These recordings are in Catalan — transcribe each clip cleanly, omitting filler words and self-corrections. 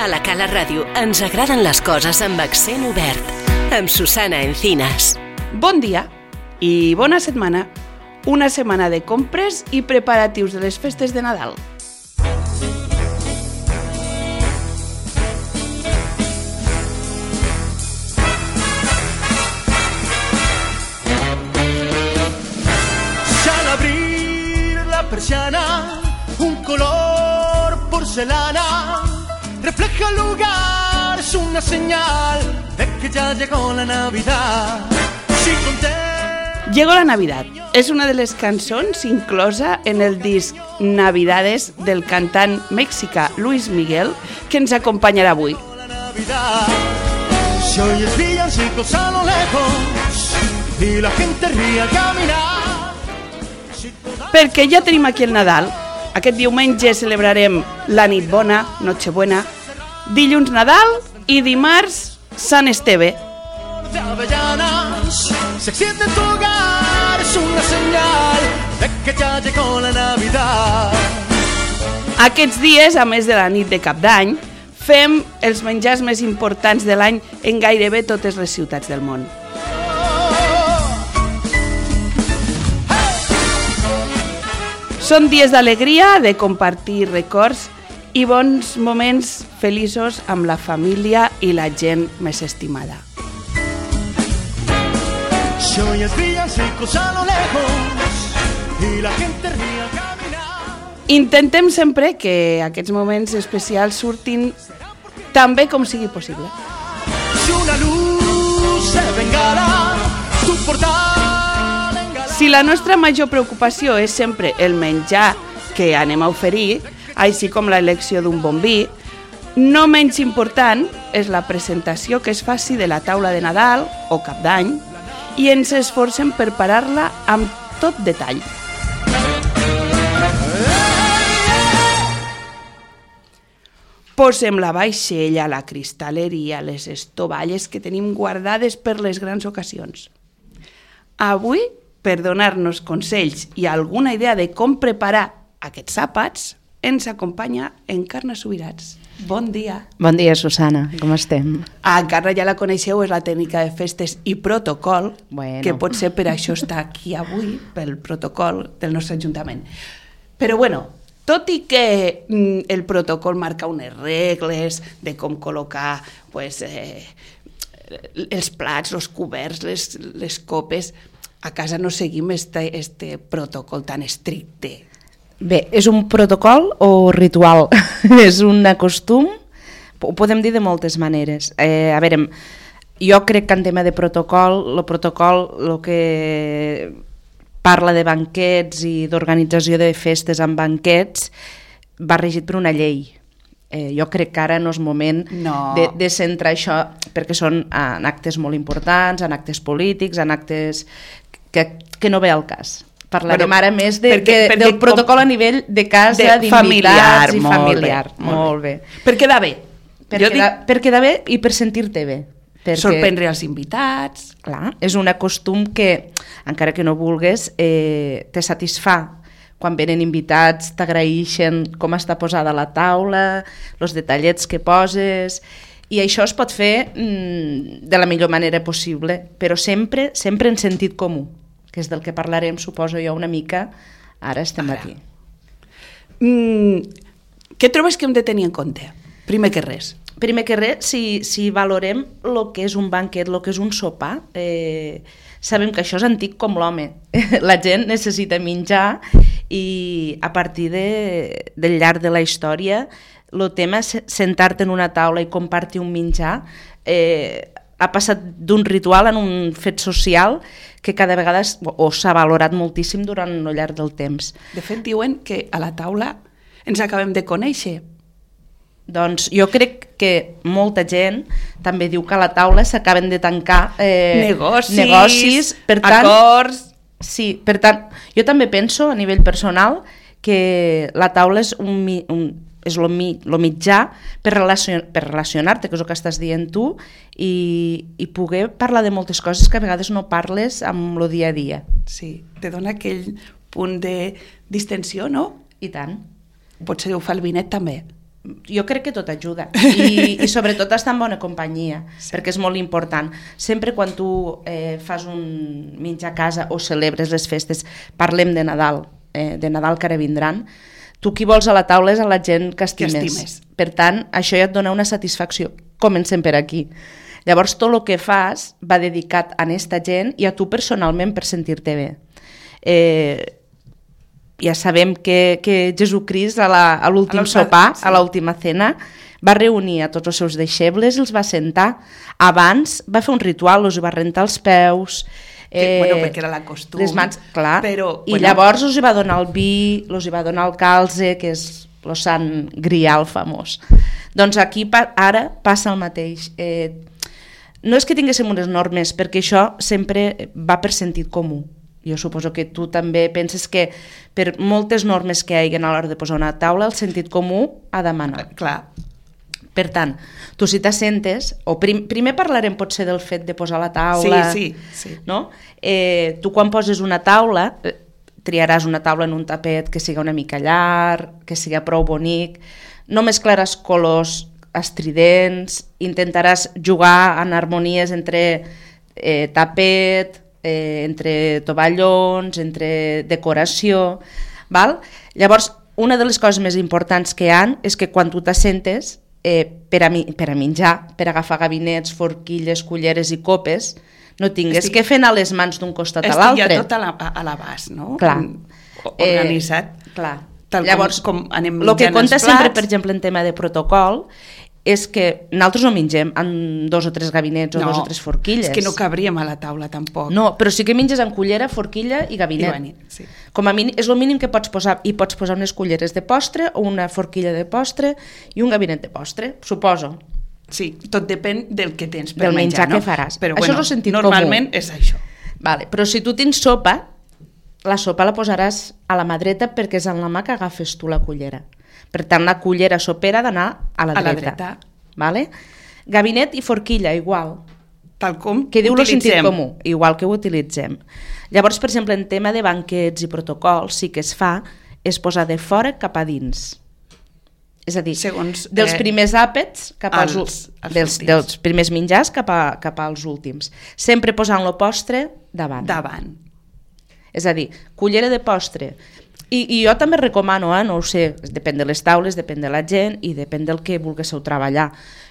A la Cala Ràdio ens agraden les coses amb accent obert. Amb Susana Encinas. Bon dia i bona setmana. Una setmana de compres i preparatius de les festes de Nadal. Ya al abrir la persiana, un color porcelana refleja el lugar, es una señal de que ya llegó la Navidad. Llegó la Navidad. És una de les cançons inclosa en el disc Navidades del cantant mexicà Luis Miguel, que ens acompanyarà avui. Si oyes villancicos a lo lejos y la gente ríe al caminar. Perquè ja tenim aquí el Nadal. Aquest diumenge celebrarem la nit bona, Nochebuena, dilluns Nadal i dimarts Sant Esteve. De avellanas se extiende en tu hogar, es una señal de que ya llegó la Navidad. Aquests dies, a més de la nit de Cap d'Any, fem els menjars més importants de l'any en gairebé totes les ciutats del món. Són dies d'alegria, de compartir records i bons moments feliços amb la família i la gent més estimada. Si oyes villancicos a lo lejos y la gente ríe al caminar. Intentem sempre que aquests moments especials surtin tan bé com sigui possible. Si una luz se bengala, tu portal. Si la nostra major preocupació és sempre el menjar que anem a oferir, així com l'elecció d'un bon vi, no menys important és la presentació que es faci de la taula de Nadal o Cap d'Any i ens esforcem per preparar-la amb tot detall. Posem la vaixella, la cristalleria, les estovalles que tenim guardades per les grans ocasions. Avui, per donar-nos consells i alguna idea de com preparar aquests àpats, ens acompanya Encarna Subirats. Bon dia. Bon dia, Susana. Com estem? Encarna ja la coneixeu, és la tècnica de festes i protocol, que potser per això està aquí avui, pel protocol del nostre Ajuntament. Però bueno, tot i que el protocol marca unes regles de com col·locar els plats, els coberts, les copes, a casa no seguim este protocol tan estricte. Bé, és un protocol o ritual? És un costum? Ho podem dir de moltes maneres. A veure, jo crec que en tema de protocol, el que parla de banquets i d'organització de festes amb banquets va regit per una llei. Jo crec que ara no és moment de centrar això, perquè són en actes molt importants, en actes polítics, en actes que no ve al cas. Parlarem ara més del protocol a nivell de casa, d'invitats i familiar. Molt bé. Per quedar bé. Per quedar bé i per sentir-te bé. Sorprendre els invitats. Clar, és un costum que, encara que no vulgues, te satisfà. Quan venen invitats t'agraeixen com està posada la taula, els detallets que poses, i això es pot fer de la millor manera possible, però sempre en sentit comú, que és del que parlarem, suposo jo, una mica, ara estem aquí. Què trobes que hem de tenir en compte? Primer que res, si valorem el que és un banquet, el que és un sopar, sabem que això és antic com l'home. La gent necessita menjar i a partir del llarg de la història el tema sentar-te en una taula i compartir un menjar ha passat d'un ritual en un fet social que cada vegada s'ha valorat moltíssim durant el llarg del temps. De fet, diuen que a la taula ens acabem de conèixer. Doncs jo crec que molta gent també diu que a la taula s'acaben de tancar negocis, per tant, acords. Sí, per tant, jo també penso a nivell personal que la taula és el mitjà per relacionar-te, que és el que estàs dient tu, i poder parlar de moltes coses que a vegades no parles amb el dia a dia. Sí, te dona aquell punt de distensió, no? I tant. Potser ho fa el vinet també. Jo crec que tot ajuda i sobretot estar en bona companyia, perquè és molt important. Sempre quan tu fas un menjar a casa o celebres les festes, parlem de Nadal que ara vindran, tu qui vols a la taula és a la gent que estimes. Per tant, això ja et dona una satisfacció. Comencem per aquí. Llavors, tot el que fas va dedicat a aquesta gent i a tu personalment per sentir-te bé. Ja sabem que Jesucrist a l'últim sopar, a l'última cena, va reunir a tots els seus deixebles i els va sentar. Abans va fer un ritual, els va rentar els peus, perquè era la costum. Les mans, clar. Però, I llavors els va donar el vi, els va donar el calze, que és el sant grial famós. Doncs aquí ara passa el mateix. No és que tinguéssim unes normes, perquè això sempre va per sentit comú. Jo suposo que tu també penses que per moltes normes que hi ha a l'hora de posar una taula, el sentit comú ha de manar. Clar. Per tant, tu si t'assentes, o primer parlarem potser del fet de posar la taula. Sí. No? Tu quan poses una taula, triaràs una taula en un tapet que siga una mica llarg, que siga prou bonic, no mesclaràs colors estridents, intentaràs jugar en harmonies entre tapet, entre tovallons, entre decoració, val? Llavors, una de les coses més importants que hi ha és que quan tu t'assentes per a menjar, per agafar gabinets, forquilles, culleres i copes, no tingues que fer anar les mans d'un costat a l'altre. Estic ja tot a l'abast, no? Clar. Organitzat. Clar. Tal Llavors, com anem el que menjant compta els sempre, plats. per exemple, en tema de protocol, és que nosaltres no mengem en 2 o 3 gabinets o 2 o 3 forquilles. És que no cabríem a la taula tampoc. No, però sí que menges en cullera, forquilla i gabinet. Sí. Com a mínim, és el mínim que pots posar. I pots posar unes culleres de postre o una forquilla de postre i un gabinet de postre, suposo. Sí, tot depèn del que tens per del menjar no? que faràs. Però, això és el sentit normalment comú. És això. Vale, però si tu tens sopa, la sopa la posaràs a la mà dreta perquè és en la mà que agafes tu la cullera. Per tant, la cullera sopera ha d'anar a la dreta. Vale? Gabinet i forquilla, igual. Tal com que diu el sentit utilitzem. comú, igual que ho utilitzem. Llavors, per exemple, en tema de banquets i protocols, sí que es fa és posar de fora cap a dins. És a dir, segons, dels primers àpats cap als dels primers menjars cap als últims. Sempre posant el postre davant. És a dir, cullera de postre. I jo també recomano, no ho sé, depèn de les taules, depèn de la gent i depèn del que vulguéssiu treballar.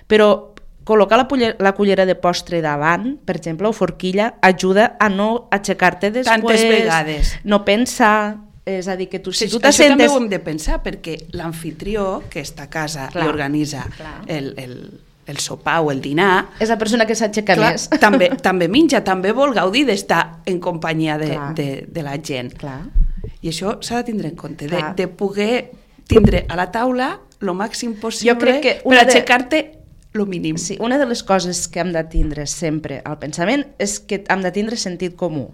Però col·locar la cullera de postre davant, per exemple, o forquilla, ajuda a no aixecar-te després. Tantes vegades. No pensar. És a dir, que tu, si tu t'assentes... Això també ho hem de pensar, perquè l'anfitrió que està a casa i organitza el sopar o el dinar... És la persona que s'aixeca més. També menja, també vol gaudir d'estar en companyia de la gent. Clar. I això s'ha de tindre en compte, de poder tindre a la taula el màxim possible per aixecar-te el mínim. Sí, una de les coses que hem de tindre sempre al pensament és que hem de tindre sentit comú.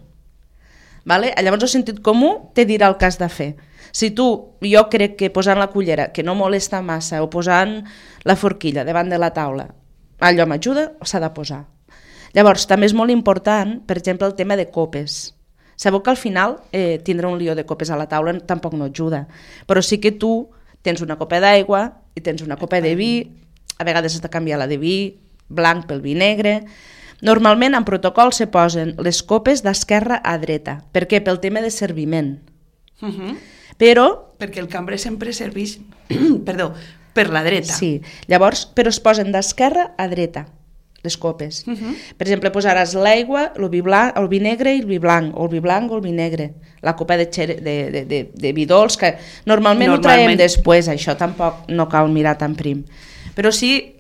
Vale? Llavors el sentit comú te dirà el que has de fer. Si jo crec que posant la cullera, que no molesta massa, o posant la forquilla davant de la taula, allò m'ajuda, s'ha de posar. Llavors també és molt important, per exemple, el tema de copes. Sabeu que al final tindre un lió de copes a la taula tampoc no ajuda, però sí que tu tens una copa d'aigua i tens una copa de vi, a vegades has de canviar la de vi blanc pel vi negre. Normalment en protocol se posen les copes d'esquerra a dreta. Per què? Pel tema de serviment. Perquè el cambrer sempre serveix per la dreta. Sí, llavors, però es posen d'esquerra a dreta les copes. Per exemple, posaràs l'aigua, el vi negre i el vi blanc, o el vi blanc o el vi negre. La copa de vi dolç, que normalment ho traiem després, això tampoc no cal mirar tan prim. Però sí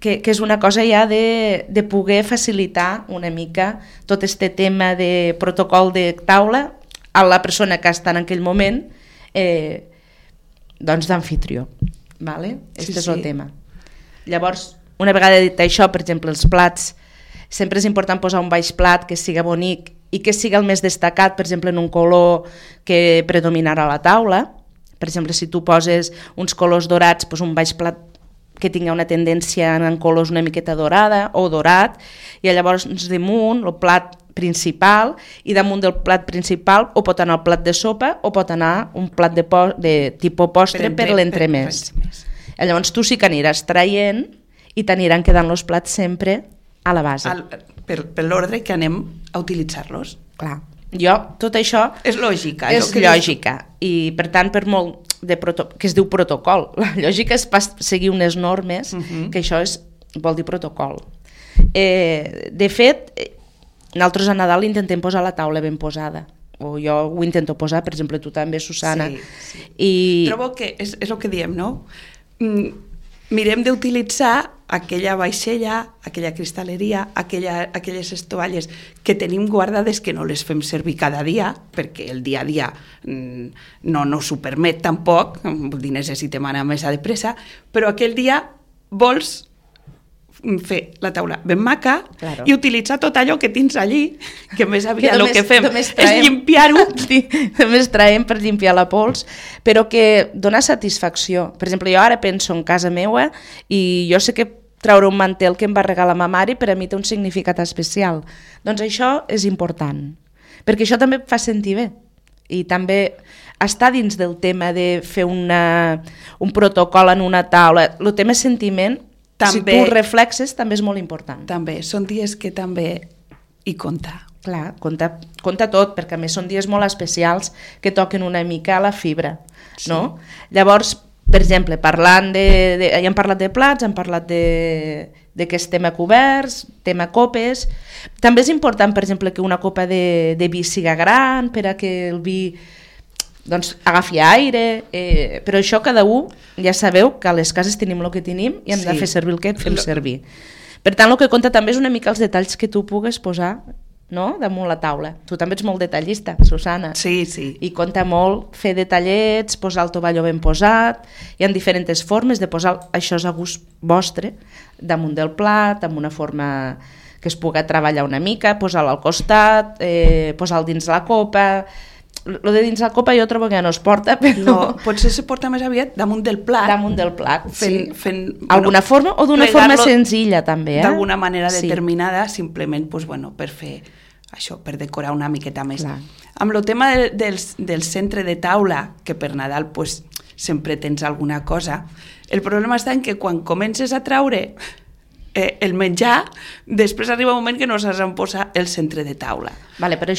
que és una cosa ja de poder facilitar una mica tot este tema de protocol de taula a la persona que està en aquell moment doncs d'anfitrió. Vale? Este és el tema. Llavors, una vegada dit això, per exemple, els plats, sempre és important posar un baix plat que siga bonic i que siga el més destacat, per exemple, en un color que predominarà a la taula. Per exemple, si tu poses uns colors dorats, doncs un baix plat que tingui una tendència en colors una miqueta dorada o dorat, i llavors damunt el plat principal, i damunt del plat principal o pot anar el plat de sopa o pot anar un plat de tipus postre per l'entremès. Llavors tu sí que aniràs traient i t'aniran quedant els plats sempre a la base. Per l'ordre que anem a utilitzar-los. Clar. Jo, tot això... És lògica. És lògica. I, per tant, per molt que es diu protocol, la lògica és seguir unes normes, que això vol dir protocol. De fet, nosaltres a Nadal intentem posar la taula ben posada. O jo ho intento posar, per exemple, tu també, Susana. Sí. Trobo que és el que diem, no? Mirem d'utilitzar aquella vaixella, aquella cristal·leria, aquelles estovalles que tenim guardades, que no les fem servir cada dia, perquè el dia a dia no ens ho permet tampoc, vull dir, necessitem anar més de pressa, però aquell dia vols fer la taula ben maca i utilitzar tot allò que tens allí, que més aviat el que fem és limpiar-ho. Només traiem per limpiar la pols, però que dona satisfacció. Per exemple, jo ara penso en casa meva i jo sé que treure un mantel que em va regalar ma mare per a mi té un significat especial. Doncs això és important, perquè això també fa sentir bé i també està dins del tema de fer un protocol en una taula. El tema sentiment, si tu reflexes, també és molt important. També, són dies que també hi compta. Clar, compta tot, perquè a més són dies molt especials que toquen una mica a la fibra, no? Llavors, per exemple, ja hem parlat de plats, hem parlat de que estem a coberts, tema copes. També és important, per exemple, que una copa de vi siga gran, per a que el vi agafi aire, però això cada un, ja sabeu que a les cases tenim el que tenim i hem de fer servir el que fem servir. Per tant, el que compta també és una mica els detalls que tu pugues posar damunt la taula. Tu també ets molt detallista, Susana. Sí. I compta molt fer detallets, posar el tovalló ben posat. Hi ha diferents formes de posar això a gust vostre, damunt del plat, amb una forma que es pugui treballar una mica, posar-lo al costat, posar-lo dins la copa. Lo de dins la copa jo trobo que ja no es porta, però... No, potser se porta més aviat damunt del plat. Damunt del plat, fent alguna forma, o d'una forma senzilla també. D'alguna manera determinada, simplement per fer això, per decorar una miqueta més. Clar. Amb el tema del centre de taula, que per Nadal sempre tens alguna cosa, el problema està en que quan comences a traure el menjar, després arriba un moment que no saps on posar el centre de taula. Vale, però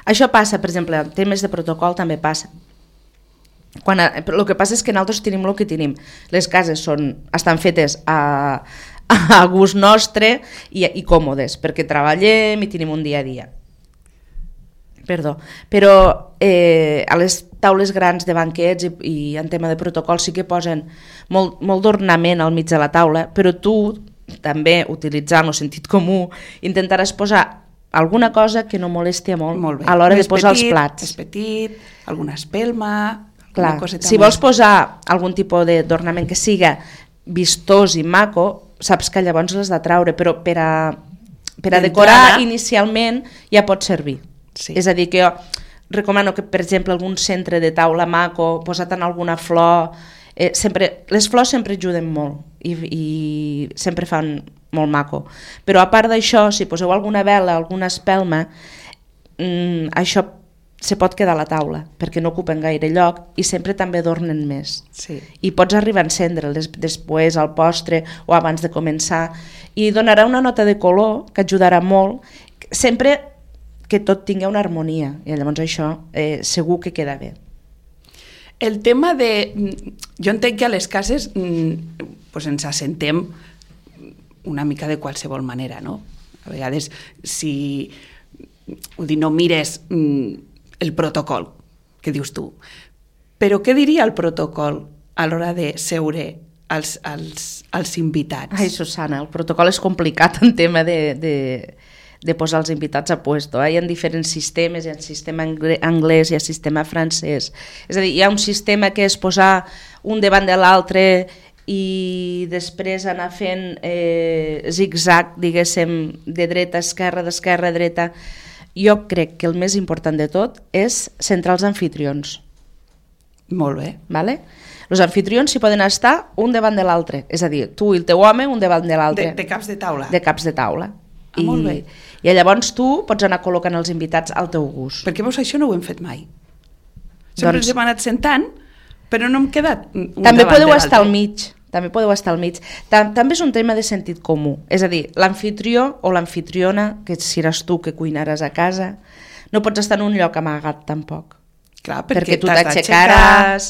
això passa, per exemple, en temes de protocol també passa. El que passa és que nosaltres tenim el que tenim. Les cases estan fetes a gust nostre i còmodes, perquè treballem i tenim un dia a dia. Però a les taules grans de banquets i en tema de protocol sí que posen molt d'ornament al mig de la taula, però tu també, utilitzant el sentit comú, intentaràs posar alguna cosa que no molesti molt a l'hora de posar els plats. És petit, alguna espelma, alguna coseta. Si vols posar algun tipus d'ornament que siga vistós i maco, saps que llavors l'has de traure, però per a decorar inicialment ja pot servir. És a dir, que jo recomano que, per exemple, algun centre de taula maco, posat en alguna flor, les flors sempre ajuden molt i sempre fan molt maco, però a part d'això, si poseu alguna vela, alguna espelma, això se pot quedar a la taula perquè no ocupen gaire lloc i sempre també adornen més. I pots arribar a encendre'ls després al postre o abans de començar i donarà una nota de color que ajudarà molt, sempre que tot tingui una harmonia i llavors això segur que queda bé. El tema jo entenc que a les cases ens assentem una mica de qualsevol manera, no? A vegades, si no mires el protocol, que dius tu, però què diria el protocol a l'hora de seure als invitats? Ai, Susana, el protocol és complicat en tema de posar els invitats a puesto. Hi ha diferents sistemes, hi ha sistema anglès, hi ha sistema francès. És a dir, hi ha un sistema que és posar un davant de l'altre i després anar fent zig-zag, diguéssim, de dreta a esquerra, d'esquerra a dreta. Jo crec que el més important de tot és centrar els anfitrions. Molt bé. Vale? Els anfitrions s'hi poden estar un davant de l'altre, és a dir, tu i el teu home un davant de l'altre. De caps de taula. De caps de taula. Molt bé. I llavors tu pots anar col·locant els invitats al teu gust. Perquè veus, això no ho hem fet mai. Sempre ens hem anat sentant Però no hem quedat un També davant podeu de estar al l'altre. mig. També podeu estar al mig. També és un tema de sentit comú. És a dir, l'anfitrió o l'anfitriona, que seràs tu que cuinaràs a casa, no pots estar en un lloc amagat tampoc. Clar, Perquè tu t'has t'aixecaràs,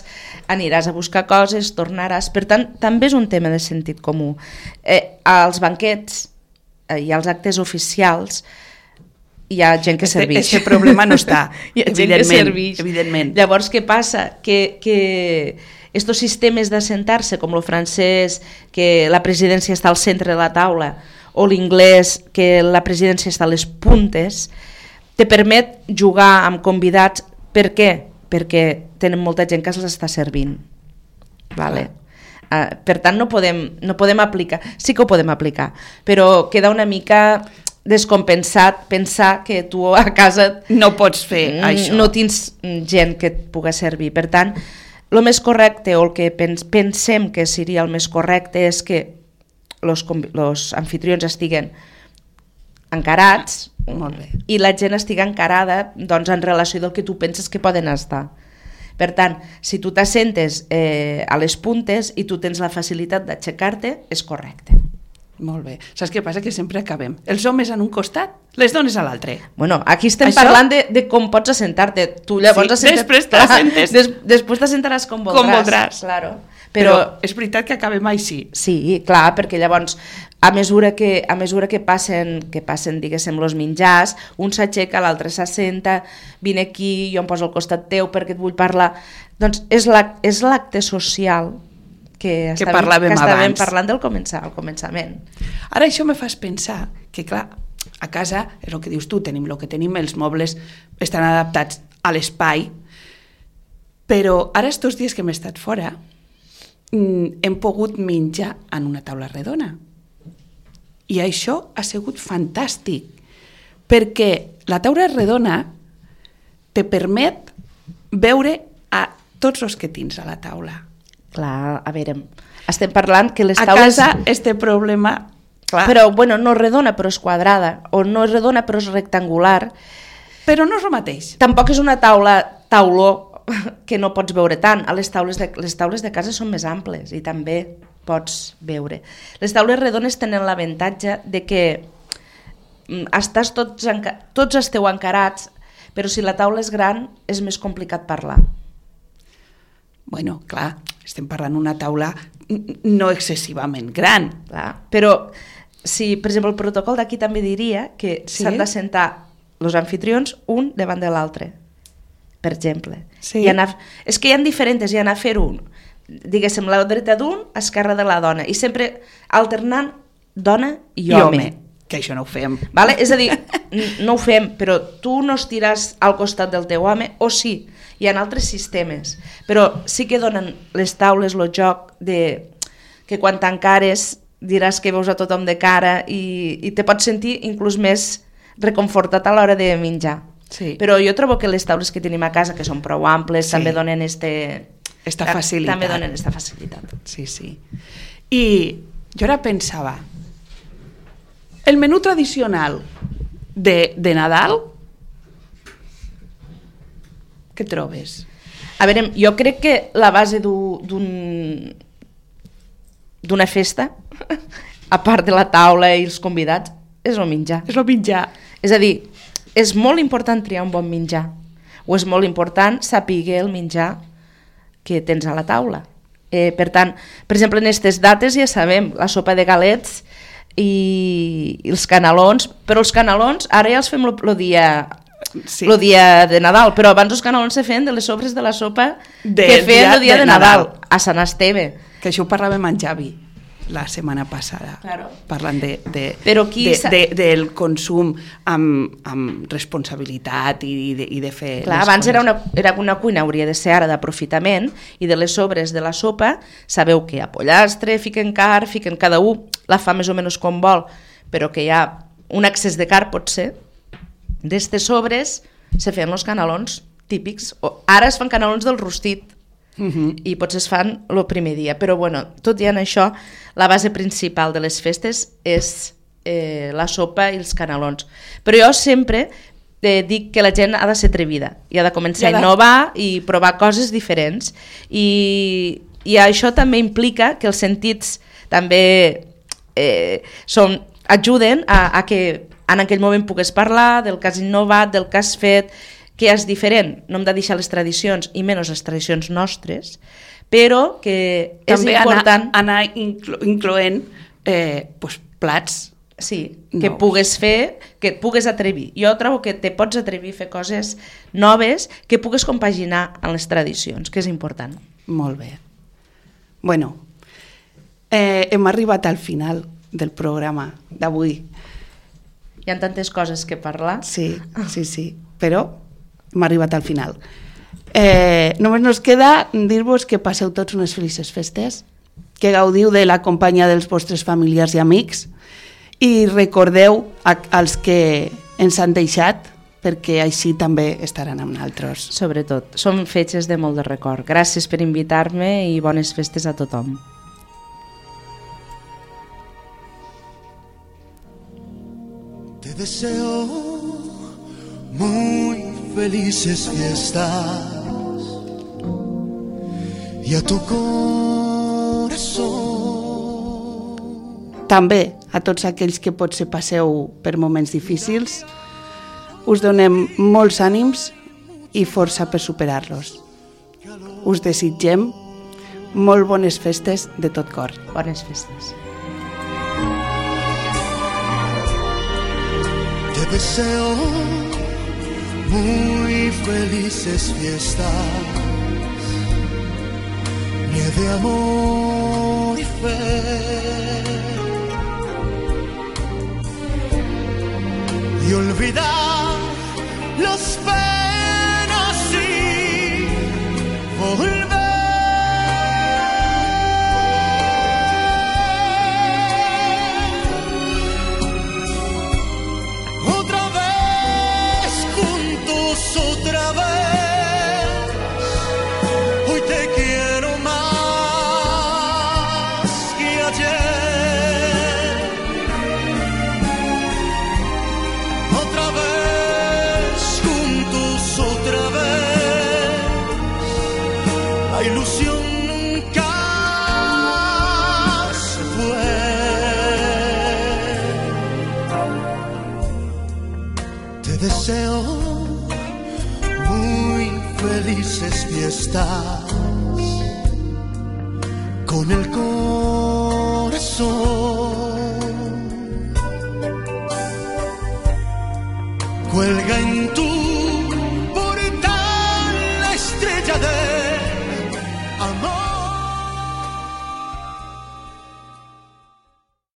aniràs a buscar coses, tornaràs... Per tant, també és un tema de sentit comú. Als banquets i als actes oficials hi ha gent que serveix. Este problema no està, hi ha gent que serveix. Evidentment. Llavors, què passa? Que estos sistemes d'assentar-se, com el francès, que la presidència està al centre de la taula, o l'inglès, que la presidència està a les puntes, te permet jugar amb convidats. Per què? Perquè tenen molta gent que se'ls està servint. Vale? Per tant, no podem aplicar. Sí que ho podem aplicar, però queda una mica descompensat pensar que tu a casa no pots fer això. No tens gent que et pugui servir. Per tant, el més correcte, o el que pensem que seria el més correcte, és que els anfitrions estiguen encarats. Molt bé. I la gent estigui encarada, doncs, en relació del que tu penses que poden estar. Per tant, si tu t'assentes a les puntes i tu tens la facilitat d'aixecar-te, és correcte. Molt bé. Saps què passa? Que sempre acabem. Els homes en un costat, les dones a l'altre. Bueno, aquí estem parlant de com pots assentar-te. Tu llavors després t'assentes. Després t'assentaràs com voldràs. Com voldràs. Claro. Però és veritat que acabem així. Sí, clar, perquè llavors a mesura que passen diguéssim, els menjars, un s'aixeca, l'altre s'assenta, vine aquí, jo em poso al costat teu perquè et vull parlar. Doncs és l'acte social que estàvem parlant al començament. Ara això me fas pensar que, clar, a casa, és el que dius tu, tenim el que tenim, els mobles estan adaptats a l'espai, però ara estos dies que hem estat fora hem pogut menjar en una taula redona. I això ha sigut fantàstic, perquè la taula redona te permet veure a tots els que tens a la taula. Clar, a veure, estem parlant que les taules... A casa este problema... Clar. Però, bueno, no és redona però és quadrada, o no és redona però és rectangular. Però no és el mateix. Tampoc és una tauló que no pots veure tant. Les taules de casa són més amples i també pots veure. Les taules redones tenen l'avantatge de que estàs tots esteu encarats, però si la taula és gran és més complicat parlar. Bueno, clar, estem parlant d'una taula no excessivament gran. Clar. Però, si, per exemple, el protocol d'aquí també diria que s'han de sentar els anfitrions un davant de l'altre, per exemple. Sí. És que hi ha diferents, hi ha a fer un, diguéssim, la dreta d'un, esquerra de la dona, i sempre alternant dona i home. Que això no ho fem. Vale? És a dir, no ho fem, però tu no estiràs al costat del teu home, o sí, hi ha altres sistemes, però sí que donen les taules el joc de que quan t'encares diràs que veus a tothom de cara i te pots sentir inclús més reconfortat a l'hora de menjar. Sí. Però jo trobo que les taules que tenim a casa, que són prou amples, també donen esta facilitat. També donen esta facilitat. Sí, sí. I jo ara pensava, el menú tradicional de Nadal, què trobes? A veure, jo crec que la base d'una festa, a part de la taula i els convidats, és el menjar. És el menjar. És a dir, és molt important triar un bon menjar, o és molt important saber el menjar que tens a la taula. Per tant, per exemple, en aquestes dates ja sabem, la sopa de galets i els canelons, però els canelons ara ja els fem el dia de Nadal, però abans els canelons se feien de les sobres de la sopa que feien el dia de Nadal, a Sant Esteve. Que això ho parlàvem amb Javi la setmana passada, claro. Parlant del consum amb responsabilitat i de fer... Clar, abans era una cuina, hauria de ser ara d'aprofitament, i de les sobres de la sopa sabeu que hi ha pollastre, fiquen carn, fiquen cada un, la fa més o menys com vol, però que hi ha un excés de carn, pot ser. D'estes sobres se feien els canelons típics, ara es fan canelons del rostit, i potser es fan el primer dia, però bueno, tot i en això la base principal de les festes és la sopa i els canelons, però jo sempre dic que la gent ha de ser atrevida i ha de començar a innovar i provar coses diferents. I això també implica que els sentits també ajuden a que en aquell moment pugues parlar del que has innovat, del que has fet, que és diferent. No hem de deixar les tradicions, i menys les tradicions nostres, però que és també important... anar incloent plats. Sí, que pugues fer, que et pugues atrevir. Jo trobo que te pots atrevir a fer coses noves que pugues compaginar amb les tradicions, que és important. Molt bé. Bueno, hem arribat al final del programa d'avui. Hi ha tantes coses que parlar. Sí, però hem arribat al final. Només nos queda dir-vos que passeu tots unes felices festes, que gaudiu de la companyia dels vostres familiars i amics, i recordeu als que ens han deixat, perquè així també estaran amb nosaltres. Sobretot, són fetges de molt de record. Gràcies per invitar-me i bones festes a tothom. Te deseo muy felices fiestas y a tu corazón. També a tots aquells que potser passeu per moments difícils, us donem molts ànims i força per superar-los. Us desitgem molt bones festes de tot cor. Bones festes. Te deseo muy felices fiestas, de amor y fe. Y olvidar las penas y volver otra vez juntos, otra vez. Hoy te quiero más que ayer. Otra vez juntos, otra vez. La ilusión nunca se fue. Te deseo muy felices fiestas con el corazón. Cuelga en